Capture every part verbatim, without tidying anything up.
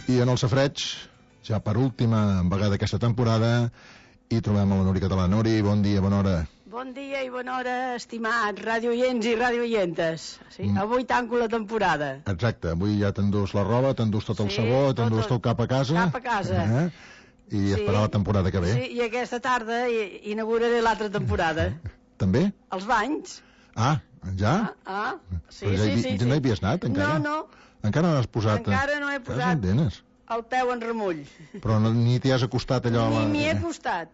I en el safreig, ja per última vegada aquesta temporada, hi trobem a la Nuri Català. Nuri, bon dia, bona hora. Bon dia i bona hora, estimats radioients i radioientes. Sí, mm. Avui tanco la temporada. Exacte, avui ja t'endús la roba, t'endús tot el sí, sabó, t'endús tot cap a casa. Cap a casa. Eh? I sí. Esperar la temporada que ve. Sí, i aquesta tarda inauguraré l'altra temporada. També? Els banys. Ah, ja? Ah, ah. Sí, Però ja, sí, sí, ja no hi havies anat, encara? No, no. Encara no has posat... Encara no he posat el peu en remull. Però no, ni t'hi has acostat allò... Ni m'hi he acostat.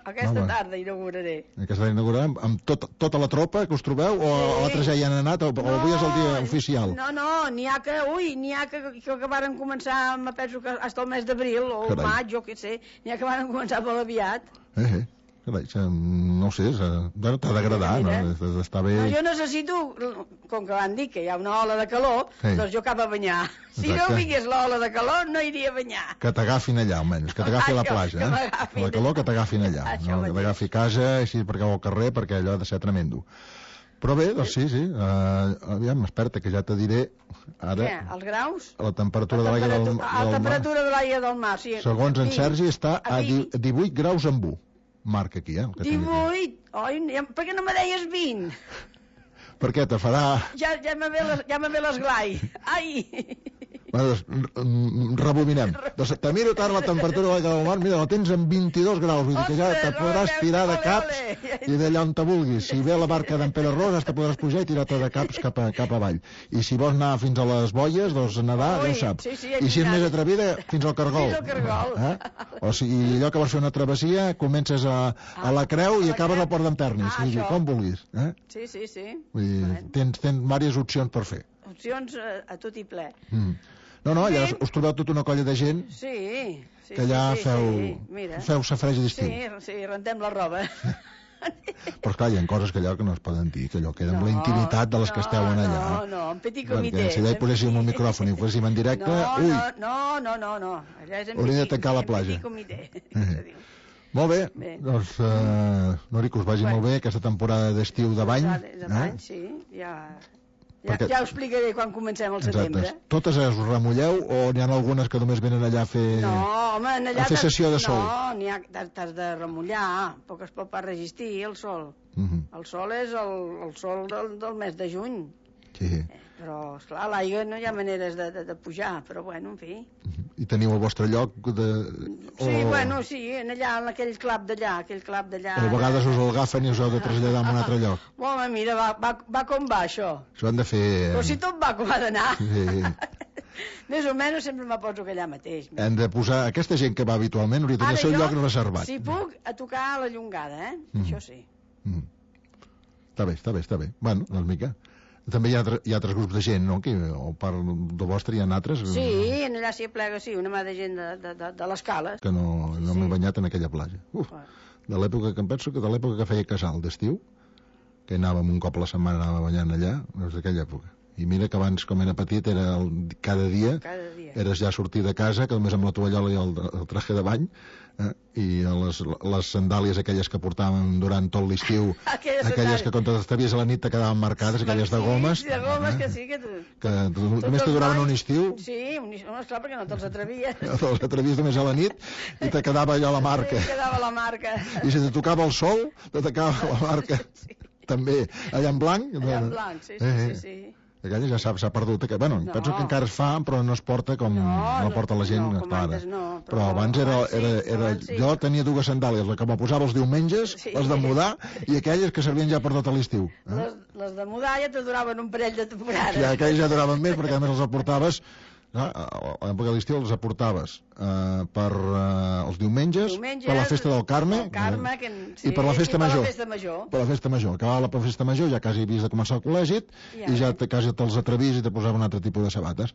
Aquesta no, tarda inauguraré. Aquesta tarda inaugurarem amb tot, tota la tropa que us trobeu o sí. Altres ja hi han anat o, no, o avui és el dia oficial? No, no, n'hi ha que, ui, n'hi ha que, que, que varen començar, me penso que fins al mes d'abril o Carai. maig, jo què sé, n'hi ha que varen començar molt aviat. Eh, eh. Carai, no ho sé, t'ha d'agradar, no? Està bé... No, jo necessito, com que van dir que hi ha una ola de calor, sí. Doncs jo cap a banyar. Exacte. Si no vingués l'ola de calor, no iria a banyar. Que t'agafin allà, almenys, que t'agafi a la platja, eh? Que la calor que t'agafin allà, no? Que t'agafi a casa, així per cau al carrer, perquè allò ha de ser tremendo. Però bé, doncs sí, sí, uh, aviam, esperta, que ja te diré ara... Què, els graus? La temperatura de l'aigua del, del mar. La temperatura de l'aigua del mar, sí. Segons en Sergi, està a divuit graus amb u. Marca aquí, eh? divuit? Oi, per què no me deies vint? Per què, te farà... Ja, ja me ve les, ja me ve l'esglai. Ai! Bueno, doncs, rebobinem. Doncs te miro tant la temperatura de l'aigua del mar, mira, la tens amb vint-i-dos graus, vull dir que ja te podràs tirar de caps i d'allà on te vulguis. Si ve la barca d'en Pere Rosas, te podràs pujar i tirar-te de caps cap, a, cap avall. I si vols anar fins a les boies, doncs nedar, ja ho saps. Sí, sí, I si és més atrevida, fins al cargol. Fins al cargol. Eh? O sigui, allò que vols fer una travessia, comences a, a la Creu i acabes al Port d'Enternis. Ah, sigui, com vulguis. Eh? Sí, sí, sí. Vull dir, tens, tens diverses opcions per fer. Opcions a, a tot i ple. Mm. No, no, allà us trobeu tota una colla de gent sí, sí, que allà sí, feu, sí, sí. feu safreig d'estiu. Sí, sí, rentem la roba. Però esclar, hi ha coses que allò que no es poden dir, que allò queda amb no, la intimitat de les no, que esteu en allà. No, no, en petit comitè. Perquè si allà hi poséssim un micròfon i ho poséssim en directe, no, ui! No, no, no, no, allà és en hauríem de tancar la platja. Eh. Molt bé, bé. Doncs, uh, Nori, que us vagi bueno. molt bé aquesta temporada d'estiu de bany. De bany, eh? Sí, ja... Ja, perquè... ja ho explicaré quan comencem al setembre. Exacte. Totes us remulleu o n'hi ha algunes que només venen allà a fer, no, home, allà a fer sessió de sol? No, n'hi ha, t'has de remullar, poc es pot pas resistir el sol. Uh -huh. El sol és el, el sol del, del mes de juny. Sí. Eh, però, esclar, a l'aigua no hi ha maneres de, de, de pujar, però bueno, en fi. Uh -huh. I teniu el vostre lloc de... Sí, o... bueno, sí, en allà, en aquell clap d'allà, aquell clap d'allà... Però a vegades us el agafen i us heu de traslladar a un altre lloc. Home, mira, va, va, va com va, això. Això han de fer... Però si tot va com ha d'anar. Sí. Més o menys sempre me poso allà mateix. Hem de posar... Aquesta gent que va habitualment hauria de tenir el seu lloc reservat. Si puc, a tocar a la llongada, eh? Mm. Això sí. Mm. Està bé, està bé, està bé. Bueno, doncs mica... També hi ha, hi ha altres grups de gent, no? Que, o part de vostre hi ha altres? Sí, en allà s'hi aplega, sí, una mà de gent de, de, de, de l'escala. Que no, no sí. m'he banyat en aquella platja. Uf, de l'època que em penso que de l'època que feia casal d'estiu, que anàvem un cop a la setmana, anàvem banyant allà, és d'aquella època. I mira que abans, com era petit, era el, cada dia, cada dia eres ja sortir de casa, que només amb la tovallola i el, el traje de bany, eh? I les, les sandàlies aquelles que portàvem durant tot l'estiu, aquelles, aquelles que quan t'estavies a la nit te quedaven marcades, aquelles de gomes, sí, de gomes eh? que sí, que, tu, que tu, només te duraven un estiu. Sí, un estiu, no, esclar, perquè no te'ls atrevies. No te'ls atrevies només a la nit i te quedava allò la marca. Sí, quedava la marca. I si te tocava el sol, te tocava la marca. Sí. També, allà en blanc. Allà en blanc, sí, sí, eh, sí, sí. Aquella ja s'ha perdut. Que, bueno, no. Penso que encara es fa, però no es porta com no, no porta la gent. No, com antes no. Però, però abans era... era, era sí, jo tenia dues sandàlies, la que me posava els diumenges, sí. les de mudar, i aquelles que servien ja per tot l'estiu. Eh? Les, les de mudar ja te duraven un parell de temporades. Ja, aquelles ja duraven més, perquè a més els aportaves... A l'època de l'estiu els aportaves uh, per uh, els diumenges, diumenges, per la festa del Carme, el Carme que, sí, i per la festa per major. La festa major. Per la festa major. Acabava la festa major, ja quasi havies de començar el col·legi, ja. I ja te, quasi te'ls atrevis i te posaven un altre tipus de sabates.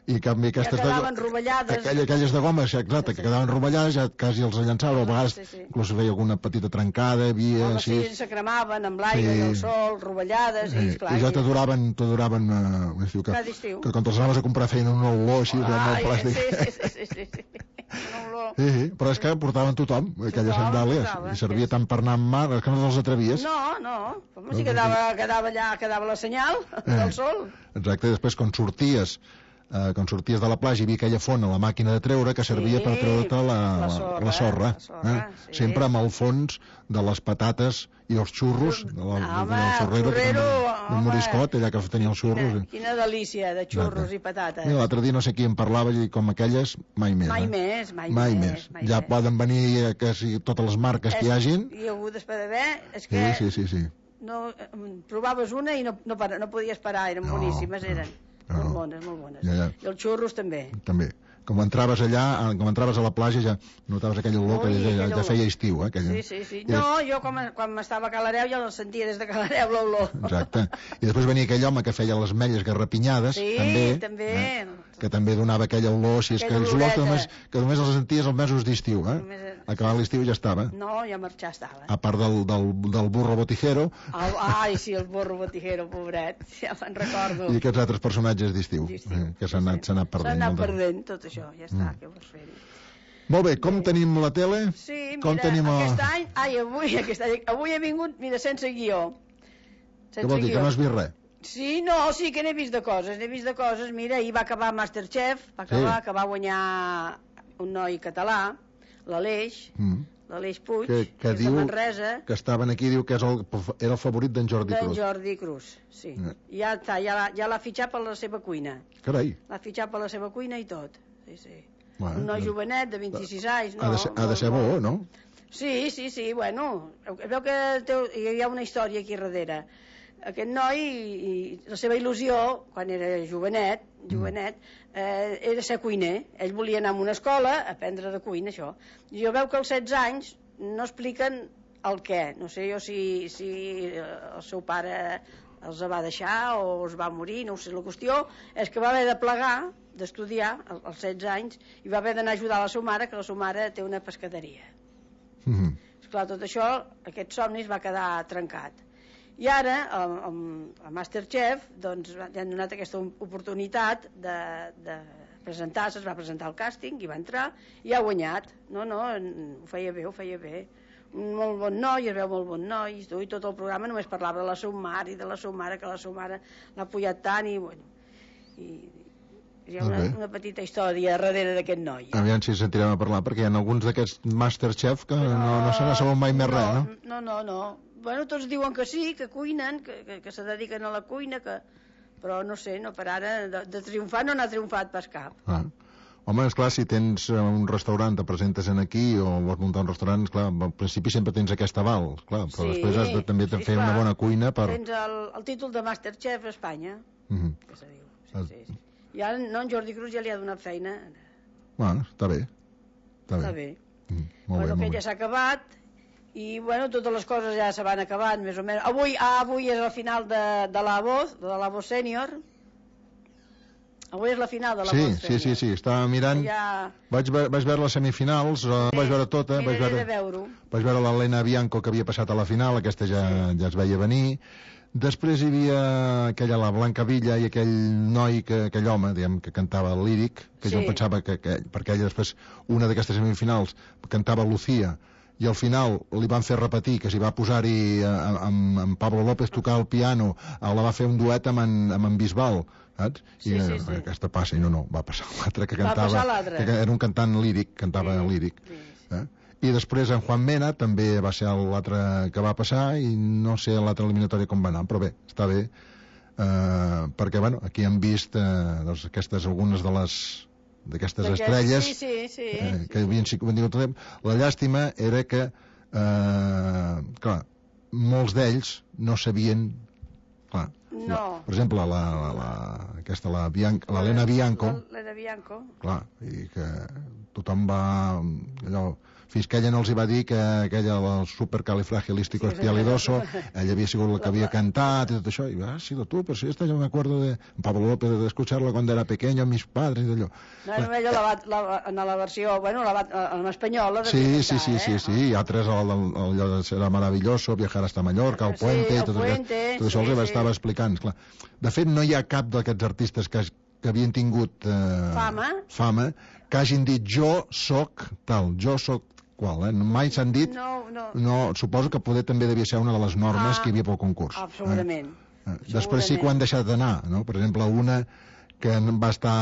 I en canvi aquestes... Ja quedaven rovellades. Aquelles, aquelles de goma, exacte, que quedaven rovellades, ja quasi els llançaven, a vegades sí, sí. inclús veia alguna petita trencada, havia... Home, sí, se cremaven amb l'aire sí. i el sol, rovellades, sí. i esclar... I ja te duraven, te duraven uh, estiu, que, que quan te'ls anaves a comprar feien una olor així, ah, molt plàstic. Sí, sí, sí, sí, sí, sí. Sí, sí, però és que portaven tothom, aquelles tothom, sandàlies, portava, i servia tant per anar amb mar, és que no te'ls atrevies. No, no, com si quedava, quedava allà, quedava la senyal eh. del sol. Exacte, i després quan sorties eh, quan sorties de la platja hi havia aquella font a la màquina de treure que servia Sí, per treure-te la, la la, sorra, la sorra, la sorra, eh? sí. Sempre amb el fons de les patates i els xurros, de la, Home, del xurrero, xurrero, del Moriscot, allà que tenia els xurros. Quina, quina delícia de xurros i patates. Mira, l'altre dia no sé qui em parlava i com aquelles, mai més. Mai eh? més, mai, mai més. més. Mai ja més. poden venir eh, que si, totes les marques és, que hi hagin. I algú després d'haver, és que sí, sí, sí, sí. No, provaves una i no, no, no podies parar, eren no, boníssimes, eren. No, molt bones, molt bones. Ja, ja. I els xurros també. També. Com entraves allà, com entraves a la platja ja notaves aquell olor que ja, ja, ja feia estiu, eh? Aquella... Sí, sí, sí. No, jo quan, quan m'estava a Calareu ja la sentia des de Calareu l'olor. Exacte. I després venia aquell home que feia les ametlles garrapinyades, sí, també, també. Eh? Que també donava aquella olor, si és que els olors que només, que només els senties els mesos d'estiu, eh? Només... Acabar l'estiu ja estava. No, ja marxar estava. A part del, del, del burro botijero. El, ai, sí, el burro botijero, pobret, ja me'n recordo. I aquests altres personatges d'estiu, eh, que s'han anat, anat perdent. S'han anat perdent, tot això, ja està, mm. què vols fer-hi? Molt bé, com bé. Tenim la tele? Sí, mira, com tenim a... aquest any, ai, avui, aquest any, avui he vingut, mira, sense guió. Sense Què vol dir, guió. Que no has vist res? Sí, no, sí que n'he vist de coses, n'he vist de coses, mira, ahir va acabar Masterchef, va acabar, sí. que va guanyar un noi català, l'Aleix, mm. l'Aleix Puig, que, que, que diu, de Manresa, que estaven aquí, diu que és el, era el favorit d'en Jordi Cruz. D'en Jordi Cruz, sí. Eh. Ja està, ja l'ha ja fitxat per la seva cuina. Carai. L'ha fitxat per la seva cuina i tot. Sí, sí. Bueno, un noi no. jovenet de vint-i-sis anys, no? Ha de ser, ha de ser bo, no? Sí, sí, sí, bueno, veu que té, hi ha una història aquí darrere. Aquest noi, i, la seva il·lusió, quan era jovenet, jovenet eh, era ser cuiner. Ell volia anar a una escola a aprendre de cuina, això. I jo veu que als setze anys no expliquen el què. No sé jo si, si el seu pare els va deixar o els va morir, no ho sé. La qüestió és que va haver de plegar, d'estudiar, als setze anys, i va haver d'anar a ajudar la seva mare, que la seva mare té una pescaderia. Mm-hmm. Esclar, tot això, aquest somni es va quedar trencat. I ara, a Masterchef, doncs, li han donat aquesta oportunitat de, de presentar-se, es va presentar al càsting i va entrar i ha guanyat. No, no, ho feia bé, ho feia bé. Un molt bon noi, es veu molt bon noi, i tot el programa només parlava de la seva mare i de la seva mare, que la seva mare l'ha pujat tant, i bueno, i hi ha una, una petita història darrere d'aquest noi. Eh? Aviam si sentirem a parlar, perquè hi ha alguns d'aquests Masterchef que no, no, no se n'ha sabut mai més no, res, no? No, no, no. Bueno, tots diuen que sí, que cuinen, que, que, que se dediquen a la cuina, que... però no sé, no, per ara de, de triomfar no n'ha triomfat pas cap. Ah. Home, esclar, si tens un restaurant, te presentes en aquí o vols muntar un restaurant, esclar, al principi sempre tens aquest aval, clar, però sí, després has de també sí, fer clar. una bona cuina per... Tens el, el títol de Masterchef a Espanya, mm-hmm. que se diu. Sí, sí, sí. I ara no, en Jordi Cruz ja li ha donat feina. Bueno, està bé. Està, està bé. bé. Mm, molt bueno, bé, que ja s'ha acabat, i bueno, totes les coses ja se van acabant, més o menys. Avui, ah, avui és el final de, de la Voz, de la Voz Sènior. Avui és la final de la sí, Voz Sènior. Sí, sí, sí, estava mirant... Ja... Vaig, vaig veure les semifinals, sí. Vaig veure tota. Vaig veure, veure vaig veure l'Helena Bianco, que havia passat a la final, aquesta ja, sí. ja es veia venir. Després hi havia aquella, la Blanca Villa, i aquell noi, que, aquell home, diguem, que cantava el líric, que sí. Jo pensava que, que perquè ella després, una d'aquestes semifinals, cantava Lucía, i al final li van fer repetir que s'hi va posar-hi amb, amb Pablo López tocar el piano, la va fer un duet amb en, amb en Bisbal, saps? I sí, sí, sí. aquesta passa, i no, no, va passar l'altre que cantava, va passar l'altre. Que era un cantant líric, cantava sí, líric. Sí, sí. Eh? I després en Juan Mena també va ser l'altre que va passar, i no sé l'altra eliminatòria com va anar, però bé, està bé, eh, perquè bueno, aquí hem vist eh, doncs, aquestes algunes de les d'aquestes estrelles sí, sí, sí, eh, que havien sigut tot el temps. La llàstima era que eh, clar, molts d'ells no sabien, clar, no. La, per exemple la, la, la, aquesta la Bianca, l'Helena Bianco, l'Helena Bianco, clar, i que tothom va allò, fins que ella no els hi va dir que aquella, el supercalifragilístico espialidoso, ella havia sigut la que havia cantat i tot això, i va, ah, sí, tu, però si esta yo me acuerdo de Pablo López, de escucharla cuando era pequeño, mis padres, i d'allò. No, no, ella la va, la, en la versió, bueno, la va, en espanyol, la sí, cantar, sí, sí, eh? sí, sí, i altres, allò de Será maravilloso, viajar hasta Mallorca, el puente, sí, i tot, puente, aquest, tot això sí, els sí. estava explicant, clar. De fet, no hi ha cap d'aquests artistes que, que havien tingut eh, fama. fama, que hagin dit jo soc tal, jo soc qual, eh? Mai s'han dit, no, no. no, suposo que poder també devia ser una de les normes ah, que hi havia pel concurs. Absolutament. Eh? Eh? Després sí que ho han deixat d'anar, no? Per exemple, una que va estar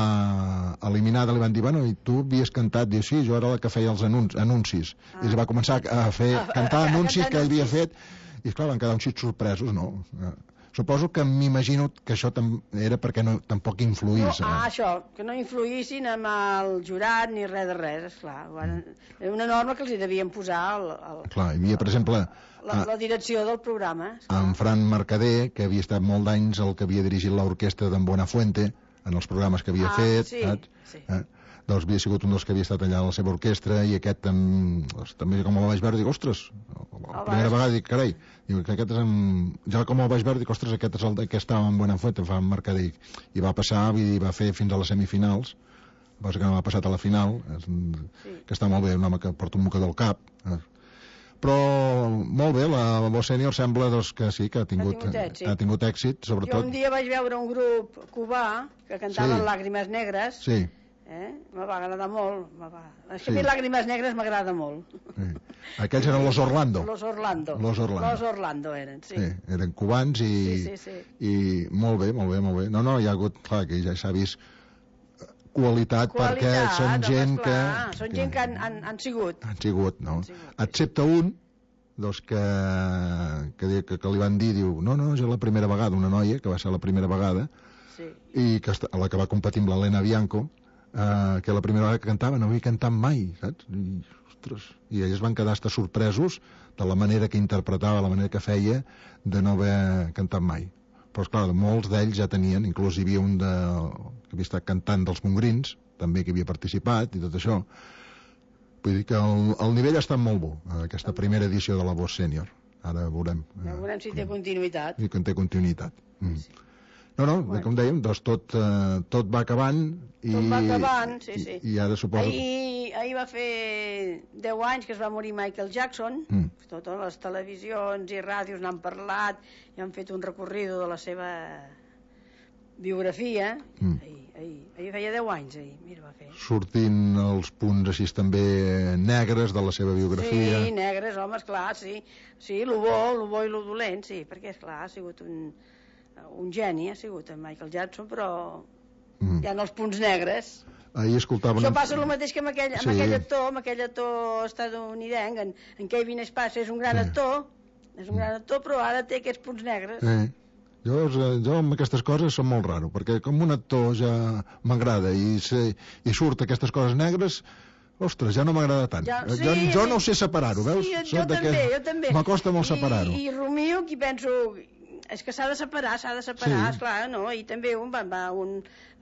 eliminada, li van dir, bueno, i tu havies cantat, diu, sí, jo era la que feia els anuncis, anuncis. Ah. I es va començar a fer, a cantar anuncis que ell havia fet, i esclar, van quedar uns xics sorpresos, no? Suposo que m'imagino que això era perquè no, tampoc influís. No, ah, això, que no influïssin amb el jurat ni res de res, esclar. Bueno, era una norma que els hi devien posar el, el, clar, hi havia, per exemple, la, la direcció del programa. Esclar. En Fran Mercader, que havia estat molt d'anys el que havia dirigit l'orquestra d'en Buenafuente, en els programes que havia ah, fet, sí, saps? Sí. Eh? Doncs havia sigut un dels que havia estat allà a la seva orquestra, i aquest tam... també com el vaig veure, dic, ostres, la el primera vas... vegada dic, carai, dic, que aquest és en... ja com el vaig veure, dic, ostres, aquest és el que estava en Buenafuente, fa en Mercader, i va passar, vull dir, va fer fins a les semifinals, cosa que no m'ha passat a la final, és... sí. Que està molt bé, un home que porta un mocador al cap, eh? Però molt bé, la voz sènior sembla doncs, que sí, que ha tingut, ha tingut, èxit. Ha tingut èxit, sobretot. Jo un dia vaig veure un grup cubà que cantava sí. Làgrimes Negres, sí. eh? Me va agradar molt, me va... és que sí. A mi Làgrimes Negres m'agrada molt. Sí. Aquells eren los Orlando. Los Orlando. Los Orlando. Los Orlando eren, sí. sí. Eren cubans i, sí, sí, sí. i molt bé, molt bé, molt bé. No, no, hi ha hagut, clar, que ja s'ha vist qualitat, qualitat perquè són home, gent esclar, que... Són gent que han, han, han sigut. Han sigut, no? Han sigut, excepte un, doncs que, que, que, que li van dir, diu, no, no, és la primera vegada, una noia, que va ser la primera vegada, sí. I que a la que va competir amb l'Helena Bianco, eh, que la primera vegada que cantava no havia cantat mai, saps? I, ostres, i ells van quedar hasta sorpresos de la manera que interpretava, la manera que feia, de no haver cantat mai. Però, esclar, molts d'ells ja tenien, inclús hi havia un de, que havia estat cantant dels Montgrins, també que havia participat i tot això. Vull dir que el, el nivell ha estat molt bo, aquesta primera edició de la voz sènior. Ara veurem. Ja veurem si té continuïtat. I que té continuïtat. Mm. Sí. No, no, bueno. Com dèiem, doncs tot, eh, tot va acabant. I, tot va acabant, sí, sí. I, i ara suposo... Ahir, ahir va fer deu anys que es va morir Michael Jackson. Mm. Totes les televisions i ràdios n'han parlat i han fet un recorrido de la seva biografia. Mm. Ahir, ahir, ahir feia deu anys, ahir, mira, va fer. Sortint els punts així també negres de la seva biografia. Sí, negres, home, esclar, sí. Sí, lo bo, lo bo i lo dolent, sí, perquè, esclar, ha sigut un, un geni, ha sigut en Michael Jackson, però mm. hi ha els punts negres. Ahir escoltava... Això passa el mateix que amb aquell, amb sí. aquell actor, amb aquell actor estadounidenc, en, en Kevin Spacey, és un gran sí. actor, és un gran actor, però ara té aquests punts negres. Sí. Jo, jo amb aquestes coses som molt raro, perquè com un actor ja m'agrada i, se, i surt aquestes coses negres, ostres, ja no m'agrada tant. Ja, sí, jo, jo no sé separar-ho, veus? Sí, jo, jo també, jo també. M'acosta molt separar-ho. I, i rumio qui penso... És que s'ha de separar, s'ha de separar, sí. Esclar, no? I també un va, va un,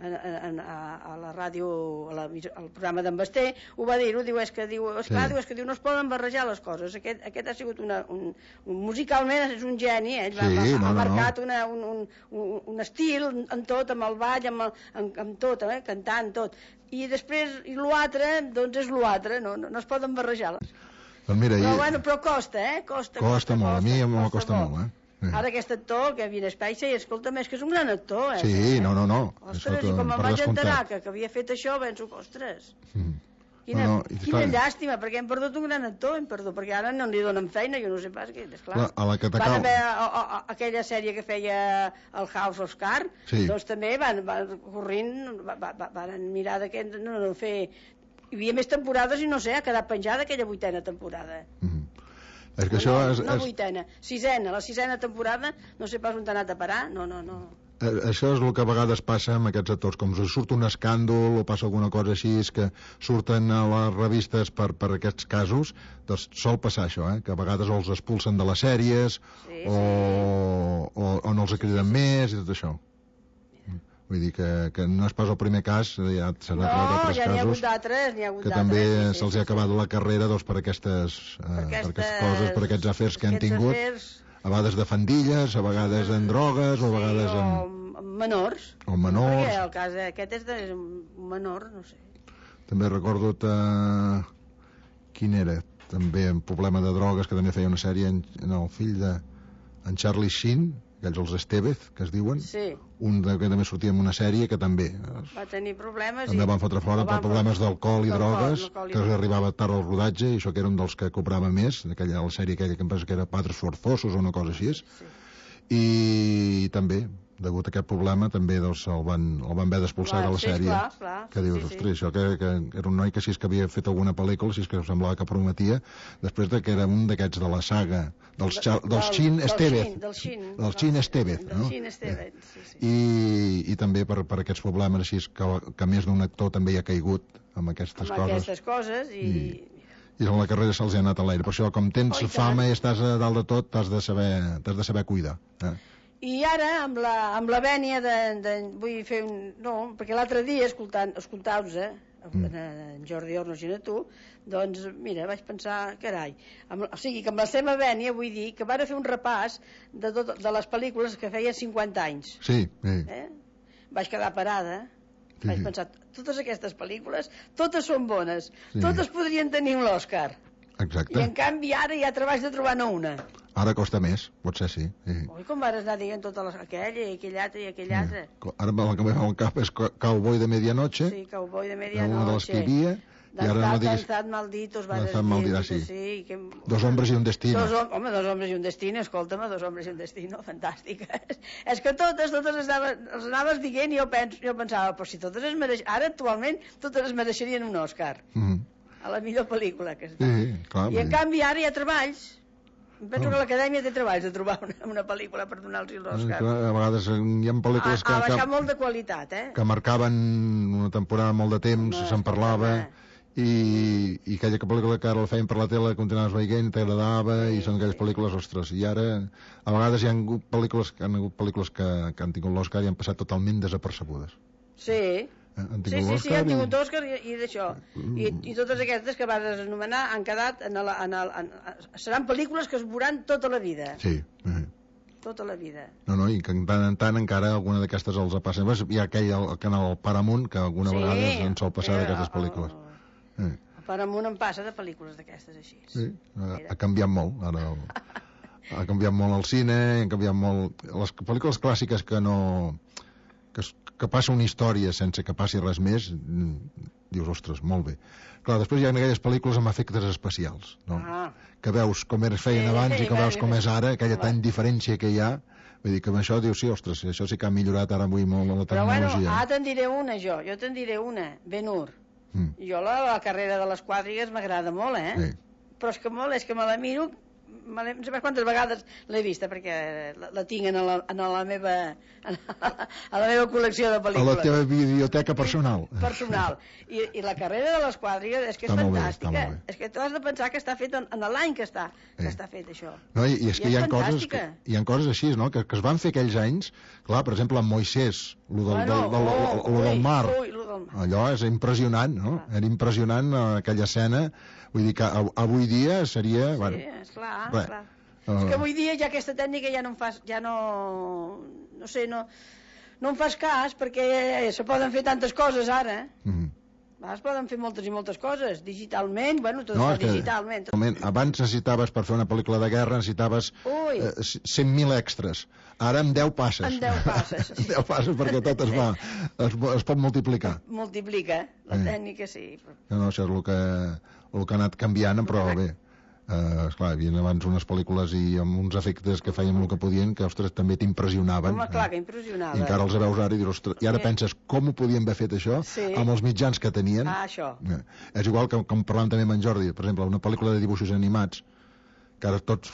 a, a, a la ràdio, a la, al programa d'en Basté, ho va dir-ho, diu, és que, diu, esclar, sí. diu, és que diu, no es poden barrejar les coses. Aquest, aquest ha sigut una, un, un... Musicalment és un geni, eh? Va, sí, va, no, ha marcat no, no. Una, un, un, un estil en tot, amb el ball, amb, el, amb, amb tot, eh? Cantant, tot. I després, i l'altre, doncs és l'altre, no, no, no es poden barrejar. Doncs mira, però, i... bueno, però costa, eh? Costa, costa, costa molt, costa, a mi m'ho costa, costa molt, eh? Sí. Ara aquest actor, Kevin Spacey, escolta'm, és que és un gran actor, eh? Sí, no, no, no. Ostres, i com em vaig enterar que, que havia fet això, penso, ostres, mm. quina, no, no, quina clar. llàstima, perquè hem perdut un gran actor, hem perdut, perquè ara no li donen feina, jo no sé pas què, és clar. La, a la que van haver a, a, a, aquella sèrie que feia el House of Cards, sí. Doncs també van, van corrint, va, va, van mirar d'aquest, no, no, fer... Hi havia més temporades i no sé, ha quedat penjada aquella vuitena temporada. Mm. És que no, això no, és, no és... vuitena, sisena, la sisena temporada, no sé pas on t'ha anat a parar, no, no, no. Eh, això és el que a vegades passa amb aquests actors, com si surt un escàndol o passa alguna cosa així, és que surten a les revistes per, per aquests casos, doncs sol passar això, eh? Que a vegades els expulsen de les sèries, sí, o, sí. O, o no els criden sí, sí. més i tot això. Vull dir que, que no és pas el primer cas, ja s'han no, acabat ja casos, n'hi ha hagut d'altres, n'hi ha hagut que també sí, sí, se'ls sí, ha acabat sí. la carrera doncs, per, aquestes, eh, per, aquestes, per aquestes coses, per aquests afers que han tingut, afers... a vegades de fandilles, a vegades en drogues, o a vegades sí, en... o menors. O menors. Perquè el cas aquest és de un menor, no sé. També recordo que... quin era? També un problema de drogues, que també feia una sèrie en, en el fill de en Charlie Sheen, aquells els Estevez, que es diuen, sí. Un de, que també sortia en una sèrie que també va tenir problemes també i... van fotre fora per problemes d'alcohol i drogues, que els arribava tard al rodatge, i això que era un dels que cobrava més, d'aquella la sèrie aquella que em pensa que era Padres Forzosos o una cosa així, sí. I també degut a aquest problema també doncs, el, van, el van haver d'expulsar de la sí, sèrie. Clar, clar, que sí, dius, sí, ostres, això que, que era un noi que si és que havia fet alguna pel·lícula, si és que semblava que prometia, després de que era un d'aquests de la saga dels, del, dels Chin Estevez. Del Chin, del Chin Estevez, no? Del Chin Estevez, sí, sí. I, i també per, per aquests problemes així que, que més d'un actor també hi ha caigut amb aquestes amb coses. aquestes coses i... I, i en la carrera se'ls ha anat a l'aire. Per això, com tens oh, i fama i estàs a dalt de tot, t'has de saber, t'has de saber cuidar. Eh? I ara, amb la, amb la vènia de, de... Vull fer un... No, perquè l'altre dia, escoltant, escoltar-vos, eh, mm. en, en Jordi Ornos i a tu, doncs, mira, vaig pensar, carai, amb, o sigui, que amb la seva vènia vull dir que van fer un repàs de, tot, de les pel·lícules que feien cinquanta anys. Sí, sí. Eh? Vaig quedar parada, sí, vaig pensar, totes aquestes pel·lícules, totes són bones, sí. Totes podrien tenir un l'Òscar. Exacte. I en canvi ara ja treballs de trobar-ne una. Ara costa més, potser sí. sí. Ui, com vas anar dient totes les... aquella i aquell altre i aquell sí. altre. Ara el que me fa un cap és Cowboy de Medianoche. Sí, Cowboy de Medianoche. Una de les que hi havia. I ara no diguis... Danzad Malditos, va Danzad Malditos, sí. sí que... Dos hombres i un destino. Dos, home, dos hombres i un destino, escolta'm, dos hombres i un destino, fantàstiques. És que totes, totes les anaves, les anaves dient i jo, pens, jo pensava, però si totes es mereix... Ara, actualment, totes es mereixerien un Òscar. Mm -hmm. A la millor pel·lícula que està. Sí, clar. I en canvi ara hi ha treballs. Penso que l'Acadèmia té treballs de trobar una, una pel·lícula per donar-los l'Òscar. A vegades hi ha pel·lícules que... Ha baixat molt de qualitat, eh? Que marcaven una temporada molt de temps, se'n parlava, i, i aquella pel·lícula que ara la feien per la tele, continuaves veient, t'agradava, sí, i són aquelles pel·lícules, ostres, i ara a vegades hi ha hagut pel·lícules, han hagut pel·lícules que, que han tingut l'Òscar i han passat totalment desapercebudes. Sí, han sí, sí, sí, han tingut Òscar i, i d'això. I, I totes aquestes que vas anomenar han quedat en el, en el, en, seran pel·lícules que es veuran tota la vida. Sí. Uh-huh. Tota la vida. No, no, i que en tant en tant encara alguna d'aquestes els passa. Hi ha aquell el canal Paramount que alguna sí, vegada en sol passar d'aquestes pel·lícules. El, el, el Paramount en passa de pel·lícules d'aquestes així. Sí, ha, ha canviat molt ara el, ha canviat molt el cine, han canviat molt les pel·lícules clàssiques que no que, que passa una història sense que passi res més, dius, ostres, molt bé. Clar, després hi ha aquelles pel·lícules amb efectes especials, no? Ah. Que veus com es feien abans i com veus com és ara, aquella tan diferència que hi ha. Vull dir que amb això dius, sí, ostres, això sí que ha millorat ara avui molt la tecnologia. Però bueno, ara te'n diré una jo, jo te'n diré una, Ben-Hur. Mm. Jo la, la carrera de les quadrigues m'agrada molt, eh? Sí. Però és que molt, és que me la miro, me la, no sé quantes vegades l'he vista, perquè la, la tinc en la, en la meva en la, a la meva col·lecció de pel·lícules. A la teva biblioteca personal. Personal. I, i la carrera de les quadrigues és que és fantàstica. Bé, és que tu has de pensar que està fet en, en l'any que està, que sí. està fet això. No, i, i és I que és hi ha coses que, hi ha coses així, no?, que, que es van fer aquells anys, clar, per exemple, amb Moisès, lo del, bueno, del, del, del, del, del mar. Ui, ui, del mar. Allò és impressionant, no? Ah. Era impressionant aquella escena. Vull dir que avui dia seria... Sí, bueno, esclar, esclar. Uh, és que avui dia ja aquesta tècnica ja no em fas... Ja no... No sé, no... No em fas cas, perquè se poden fer tantes coses ara. Mm-hmm. Es poden fer moltes i moltes coses, digitalment, bueno, tot no, es fa digitalment. Tot... Abans necessitaves, per fer una pel·lícula de guerra, necessitaves eh, cent mil extras. Ara amb deu passes. Amb deu passes. Sí. deu passes perquè tot es va, es, es pot multiplicar. Multiplica, la eh. tècnica sí. No, no, això és el que, el que ha anat canviant, però bé. Uh, esclar, hi havia abans unes pel·lícules i amb uns efectes que feien el que podien que, ostres, també t'impressionaven. Home, clar, que impressionava. I encara els veus ara i dius, ostres, i ara sí. penses com ho podien haver fet això sí. amb els mitjans que tenien. Ah, això. Uh, és igual que, com parlàvem també amb en Jordi, per exemple, una pel·lícula de dibuixos animats, que ara tots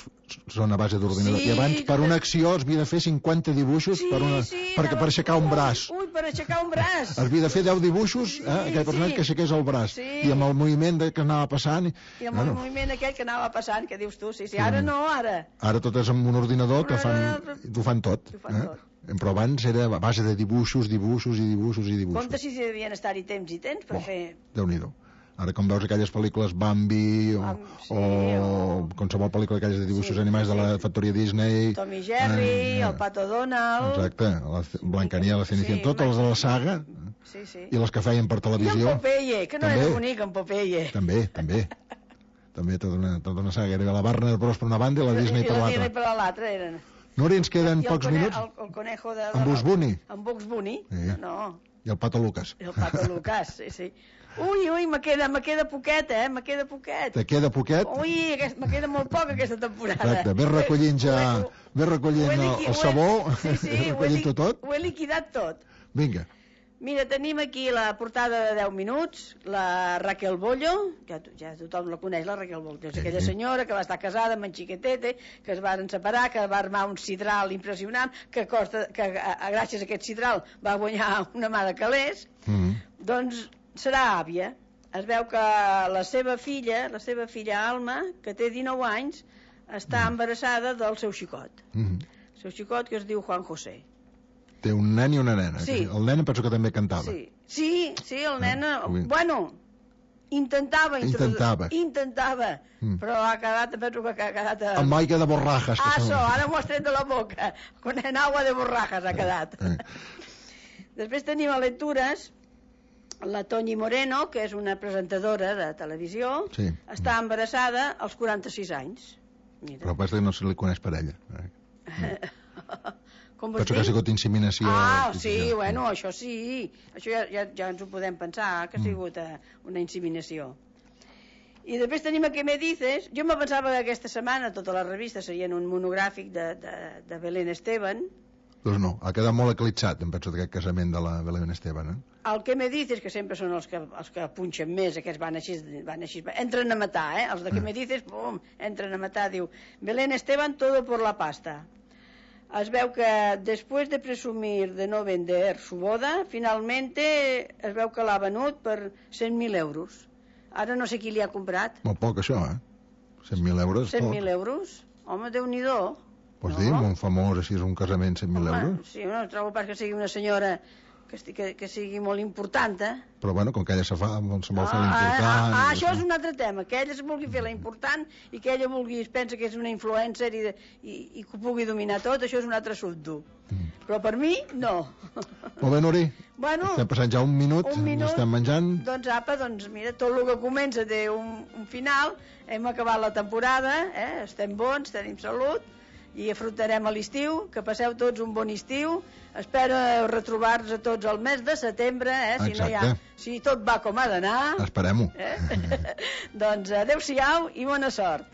són a base d'ordinador. Sí, I abans, per una acció, es havia de fer cinquanta dibuixos sí, per, una, sí, per, per aixecar un braç. Ui, per aixecar un braç. Es havia de fer deu dibuixos, sí, eh, aquell personatge sí. que aixequés el braç. Sí. I amb el moviment que anava passant... I, I amb bueno. el moviment aquell que anava passant, que dius tu, sí, sí, ara no, ara. Ara tot és amb un ordinador que fan, t'ho fan tot. T'ho fan eh? tot. Però abans era a base de dibuixos, dibuixos i dibuixos i dibuixos. Compte si devien estar-hi temps i temps per oh, fer... Déu-n'hi-do. Ara, com veus aquelles pel·lícules Bambi o, sí, o, o qualsevol pel·lícula aquelles de dibuixos sí, animats sí. de la factoria Disney... Tom i Jerry, eh, el Pato Donald... Exacte, la Blancanieves, la Cenicienta, sí, totes les de la saga sí, sí. i les que feien per televisió. I en Popeye, que no també, era bonic, en Popeye. També, també. també tota una, tota una saga. Era la Warner Bros per una banda i la Disney per l'altra. I la Disney per l'altra eren... No, ens queden pocs cone, minuts? El, el conejo de... En Bugs Bunny. En Bugs Bunny, sí. no. I el Pato Lucas. I el Pato Lucas, sí, sí. Ui, ui, me queda, me queda poquet, eh? Me queda poquet. Te queda poquet? Ui, aquest, me queda molt poc aquesta temporada. Exacte, ves recollint ja... Ho, ho, ve recollint el, el sabó, sí, sí, recollint-ho tot. Ho he liquidat tot. Vinga. Mira, tenim aquí la portada de deu minuts, la Raquel Bollo, ja, ja tothom la coneix, la Raquel Bollo, és aquella senyora que va estar casada amb en Xiquetete, que es varen separar, que va armar un sidral impressionant, que, costa, que a, a, gràcies a aquest sidral va guanyar una mà de calés, mm. doncs serà àvia. Es veu que la seva filla, la seva filla Alma, que té dinou anys, està mm. embarassada del seu xicot. Mm. El seu xicot, que es diu Juan José. Té un nen i una nena. Sí. El nen penso que també cantava. Sí, sí, sí el nen... Ah, bueno, intentava... Intentava. Intentava, mm. però ha quedat, penso que ha quedat... A... Amb aigua de borrajas. Ah, so, ara m'ho has tret de la boca. Con en agua de borrajas ha quedat. Eh. Després tenim a lectures la Toñi Moreno, que és una presentadora de televisió, sí. Està embarassada als quaranta-sis anys. Mira. Però passa que no se li coneix per ella. Eh. Com Penso que ha sigut inseminació. Ah, sí, ja, bueno, ja. Això sí. Això ja, ja, ja ens ho podem pensar, que ha sigut mm. una inseminació. I després tenim a Què me dices. Jo me pensava que aquesta setmana totes les revistes serien un monogràfic de, de, de Belén Esteban. Doncs no, ha quedat molt eclipsat, em penso, d'aquest casament de la Belén Esteban. Eh? El Què me dices, que sempre són els que, els que punxen més, aquests van així, van així, entren a matar, eh? Els de Què me dices, pum, entren a matar, diu, Belén Esteban, todo por la pasta. Es veu que després de presumir de no vender su boda, finalmente es veu que l'ha venut per cent mil euros. Ara no sé qui li ha comprat. Molt poc, això, eh? cent mil euros. cent mil euros? Home, Déu-n'hi-do. Pots no? dir, un famós, així és un casament, cent mil euros? Sí, no trobo pas que sigui una senyora que, que, que sigui molt important, eh? Però bueno, com que ella se fa, se vol ah, fer l'important... Ah, ah, això és un altre tema, que ella es vulgui fer la important i que ella vulgui, es pensa que és una influencer i, de, i, i que ho pugui dominar tot, això és un altre assumpte. Mm. Però per mi, no. Molt bé, Nuri. Bueno, estem passant ja un minut, un minut estem menjant. Doncs apa, doncs mira, tot el que comença té un, un final, hem acabat la temporada, eh? Estem bons, tenim salut, i afrontarem a l'estiu, que passeu tots un bon estiu. Espero retrobar-nos a tots el mes de setembre, eh? Si, no hi ha, si tot va com ha d'anar. Esperem-ho. Eh? Doncs adeu-siau i bona sort.